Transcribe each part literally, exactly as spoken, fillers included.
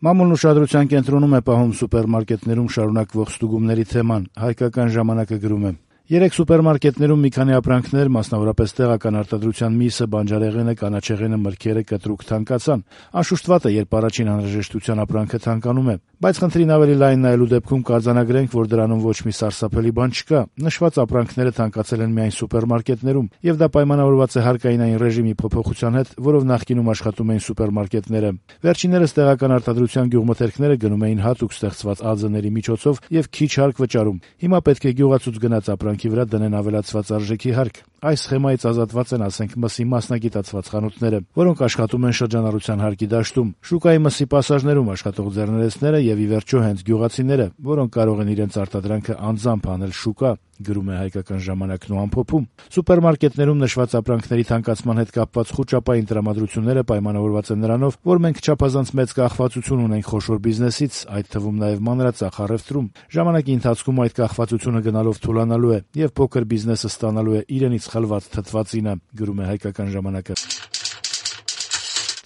Մամուլն ուշադրության կենտրոնում է պահում սուպերմարկետներում շարունակվող ստուգումների թեման, «Հայկական ժամանակ»-ը գրում է. Երեք սուպերմարկետներում մի քանի ապրանքներ, մասնավորապես տեղական արտադրության միսը, բանջարեղենը, կանաչեղենը, մրգերը կտրուկ թանկացան։ Անշուշտ վատ է, երբ առաջին անհրաժեշտության ապրանքը թանկանում է, բայց խնդրին ավելի լայն նայելու դեպքում կարձանագրենք, որ դրանում ոչ մի սարսափելի բան չկա։ Նշված ապրանքները թանկացել են միայն սուպերմարկետներում, եւ դա պայմանավորված է հարկայինային ռեժիմի փոփոխության հետ, որով նախկինում աշխատում էին սուպերմարկետները։ Վերջիններս տեղական արտադրության գյուղմթերքները գնում էին հատուկ ստեղծված ԱԶ-ների միջոցով եւ քիչ հարկ վճարում։ Հիմա պետք է գյուղացուց գնած ապրանքի վրա դնեն ավելացված արժեքի հարկ։ Այս սխեմայից ազատված են, ասենք, մսի մասնագիտացված խանութները, որոնք աշխատում են շրջանառության հարկի դաշտում, շուկայի մսի պասաժներում աշխատող ձեռներեցները եւ ի վերջո հենց գյուղացիները, որոնք կարող են իրենց արտադրանքը անձամբ անել շուկա, գրում է «Հայկական ժամանակ»-ն ու ամփոփում։ Սուպերմարկետներում նշված ապրանքների թանկացման հետ կապված խուճապային տրամադրությունները պայմանավորված են նրանով, որ մենք չափազանց մեծ կախվածություն ունենք խոշոր բիզնեսից, այդ թվում նաեւ մանրածախ առևտրում։ Ժամանակի ընթացքում այդ կախվածությունը գնալով թուլանալու է եւ փոքր բիզնեսը ստանալու է իրենից խլված թթվածինը, գրում է «Հայկական ժամանակ»-ը։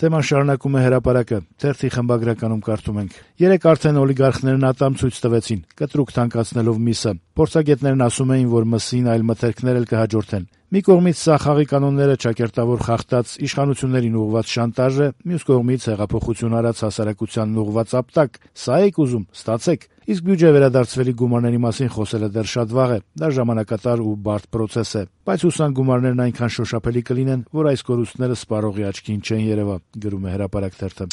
Թեման շարունակում է «Հրապարակ»-ը։ Թերթի խմբագրականում կարդում ենք. Երեք արդեն օլիգարխներն ատամ ցույց տվեցին, կտրուկ թանկացնելով միսը։ Փորձագետներն ասում էին, որ մսին այլ մթերքներ էլ կհաջորդեն։ Մի կողմից սա խաղի կանոնները ճակերտավոր խախտած իշխանություններին ուղղված շանտաժ է, մյուս կողմից հեղափոխություն արած հասարակությանն ուղղված ապտակ։ Սա եք ուզում, ստացեք։ Իսկ բյուջե վերադարձվելի գումարների մասին խոսելը դեռ շատ վաղ է, դա ժամանակատար ու բարդ պրոցես է, բայց հուսանք գումարներն այնքան շոշափելի կլինեն, որ այս կորուստները սպառողի աչքին չեն երևա, գրում է «Հրապարակ» թերթը։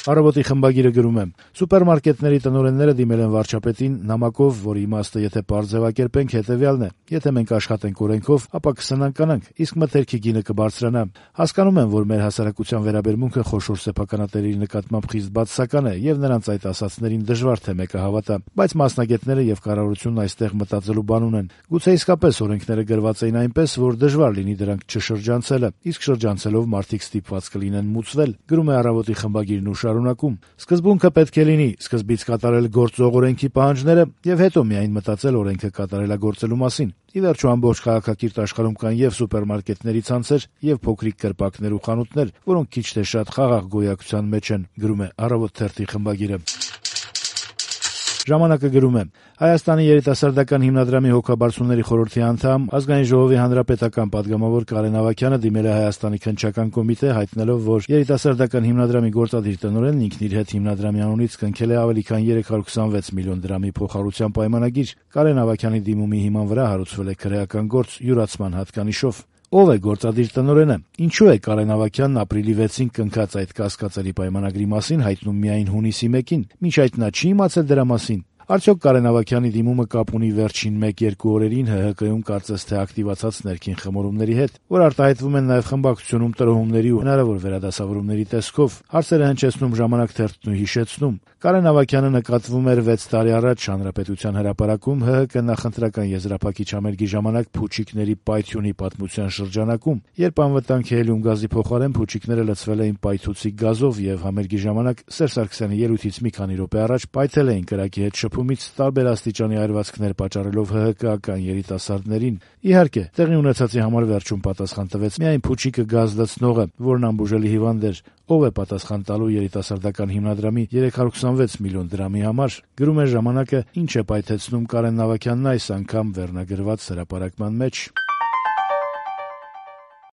Առավոտի խմբագիրը գրում է. Սուպերմարկետների տնօրենները դիմել են վարչապետին նամակով, որի իմաստը, եթե պարզ ձևակերպենք, հետեւյալն է. եթե մենք աշխատենք օրենքով, ապա կսնանկանանք, իսկ մթերքի գինը կբարձրանա։ Հասկանում եմ, որ մեր հասարակության վերաբերմունքը խոշոր սեփականատերերի նկատմամբ խիստ բացասական է, եւ նրանց այդ ասածներին դժվար թե մեկը հավատա, բայց մասնագետները եւ կառավարությունն այստեղ մտածելու բան ունեն։ Գուցե իսկապես օրենքները գրված էին այնպես, որ դժվար լինի դրանք չշրջանցելը, իսկ շրջանցելով մարդիկ ստիպված կլինեն մուծվել, գրում է Առավոտի խմբագիրն ու շարունակում. Սկզբունքը պետք է լինի սկզբից կատարել գործող օրենքի պահանջները եւ հետո միայն մտածել օրենքը կատարելագործելու մասին։ Ի վերջո ամբողջ քաղաքակիրթ աշխարհում կան եւ սուպերմարկետների ցանցեր, եւ փոքրիկ կրպակներ ու խանութներ, որոնք քիչ թե շատ խաղաղ գոյակցության մեջ են, գրում է Առավոտ թերթի խմբագիրը։ Ժամանակը գրում է. Հայաստանի երիտասարդական հիմնադրամի հոգաբարձուների խորհրդի անդամ, Ազգային ժողովի հանրապետական падգամավոր Կարեն Ավագյանը դիմել է Հայաստանի քննչական կոմիտե, հայտնելով, որ երիտասարդական հիմնադրամի գործադիր տնօրենն ինքն իր հետ հիմնադրամի անունից կնքել է ավելի քան երեք հարյուր հիսունվեց միլիոն դրամի փոխհարության պայմանագիր։ Կարեն Ավագյանի դիմումի հիման վրա հարուցվել է քրեական գործ յուրացման հատկանիշով։ Ով է գործադիր տնօրենը? Ինչու է Կարեն Ավագյանն ապրիլի վեցին կնքած այդ կասկածելի պայմանագրի մասին հայտնում միայն հունիսի մեկին, մինչ այդ նա չի իմացել դրա մասին։ Արդյոք Կարեն Ավագյանի դիմումը կապ ունի վերջին մեկ-երկու օրերին ՀՀԿ-ում կարծես թե ակտիվացած ներքին խմորումների հետ, որ արտահայտվում են նաև խմբակցությունում տրոհումների ու հնարավոր վերադասավորումների տեսքով։ Հարցերը հնչեցնում Ժամանակ թերթն ու հիշեցնում. Կարեն Ավագյանը նկատվում էր վեց տարի առաջ Հանրապետության հրապարակում ՀՀԿ նախընտրական եզրափակիչ համերգի ժամանակ փուչիկների պայթյունի պատմության շրջանակում, երբ անվտանգ հելիում գազի փոխարեն փուչիկները լցվել էին պայթուցիկ գազով եւ համերգի ժամանակ Սերժ Սարգսյանի ելույթից մի քանի րոպե առաջ պայթել էին կրակի հետ շփումից տարբեր աստիճանի այրվածքներ պատճառելով ՀՀԿ-ական երիտասարդներին։ Իհարկե, տեղի ունեցածի համար վերջում պատասխան տվեց միայն փուչիկը գազ լցնողը, որն անբուժելի հիվանդ էր։ Ով է պատասխան տալու երիտասարդական հիմնադրամի երեք հարյուր հիսունվեց միլիոն դրամի համար, գրում է Ժամանակը, ինչ է պայթեցնում Կարեն Ավագյանն այս անգամ վերնագրված հրապարակման մեջ։